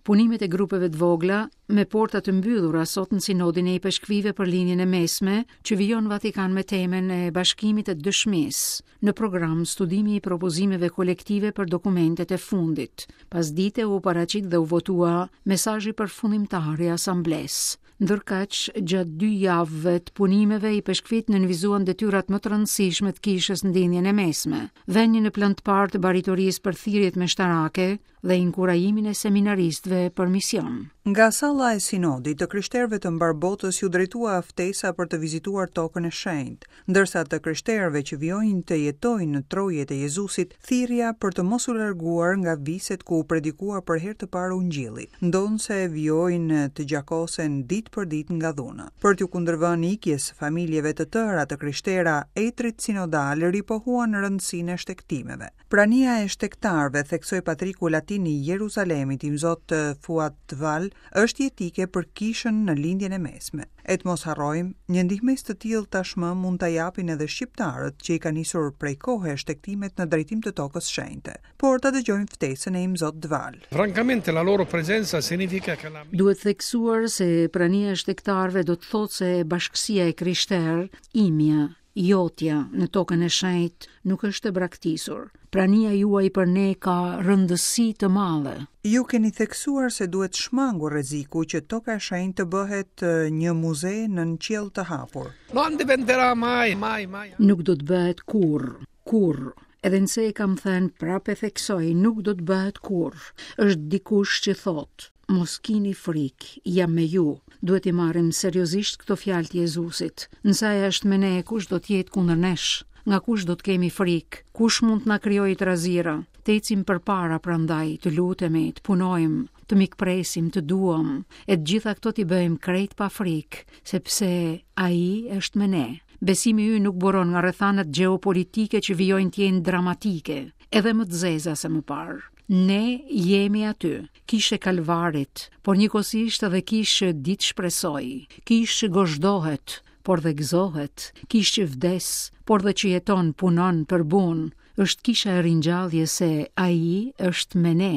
Punimet e grupeve të vogla, me porta të mbyllura sot në Sinodin e Ipeshkvijve për Lindjen e Mesme, që vijon në Vatikan me temën e bashkimit e dëshmisë. Në program studimi i propozimeve kolektive për dokumentet e fundit. Pasdite u paraqit dhe u votua mesazhi përfundimtar i asamblesë. Ndërkaq, gjatë dy javëve të punimeve, ipeshkvijtë nënvizuan detyrat më të rëndësishme të kishës në Lindjen e Mesme, vënien në plan të parë të baritorisë për thirrjet meshtarake dhe inkurajimin e seminaristëve për mision. Nga salla e Sinodit, të krishterëve të mbarë botës iu drejtua ftesa për të vizituar Tokën e Shenjtë, ndërsa të krishterëve që vijojnë të jetojnë në trojet e Jezusit, thirrja për të mos u larguar nga viset ku u predikua për herë të parë Ungjilli, ndonëse vijojnë të gjakosen ditë për ditë nga dhuna. Për t'iu kundërvënë ikjes së familjeve të tëra të krishtera, etërit sinodalë ripohuan rëndësinë e shtegtimeve. Prania e shtegtarëve, theksoi patriku latin i Jeruzalemit, imzot Fuad Twal, është jetike për Kishën në Lindjen e Mesme. E të mos harrojmë, një ndihmesë të tillë tashmë mund ta japin edhe shqiptarët që i kanë nisur prej kohe shtegtimet në drejtim të Tokës Shenjte. Por ta dëgjojmë ftesën e imzot Twal. Francamente la loro presenza significa che la Duhet theksuar se prania e shtegtarëve do të thotë se bashkësia e krishterë, imja, jotja në tokën e shenjtë nuk është e braktisur. Prania juaj për ne ka rëndësi të madhe. Ju keni theksuar se duhet shmangur rreziku që Toka e Shenjtë të bëhet një muze nën qiell të hapur. Non diventerà mai, mai, mai. Nuk do të bëhet kurrë, kurrë. Edhe nëse e kam thënë, prapë e theksoj, nuk do të bëhet kurrë. Është dikush që thotë, mos kini frikë, jam me ju. Duhet t'i marrim seriozisht këto fjalë të Jezusit. Nëse ai është me ne, kush do të jetë kundër nesh? Nga kush do të kemi frikë? Kush mund të na krijojë trazira? Të ecim përpara prandaj, të lutemi, të punojmë, të mikpresim, të duam, e të gjitha këto t'i bëjmë krejt pa frikë, sepse ai është me ne. Besimi ynë nuk buron nga rrethanat gjeopolitike që vijojnë të jenë dramatike, edhe më të zeza se më parë. Ne jemi aty, kishë e Kalvarit, por njëkohësisht edhe kishë që di të shpresojë, kishë që gozhdohet, por dhe gëzohet, kishë që vdes, por dhe që jeton, punon, përbun, është kisha e ringjalljes se ai është me ne.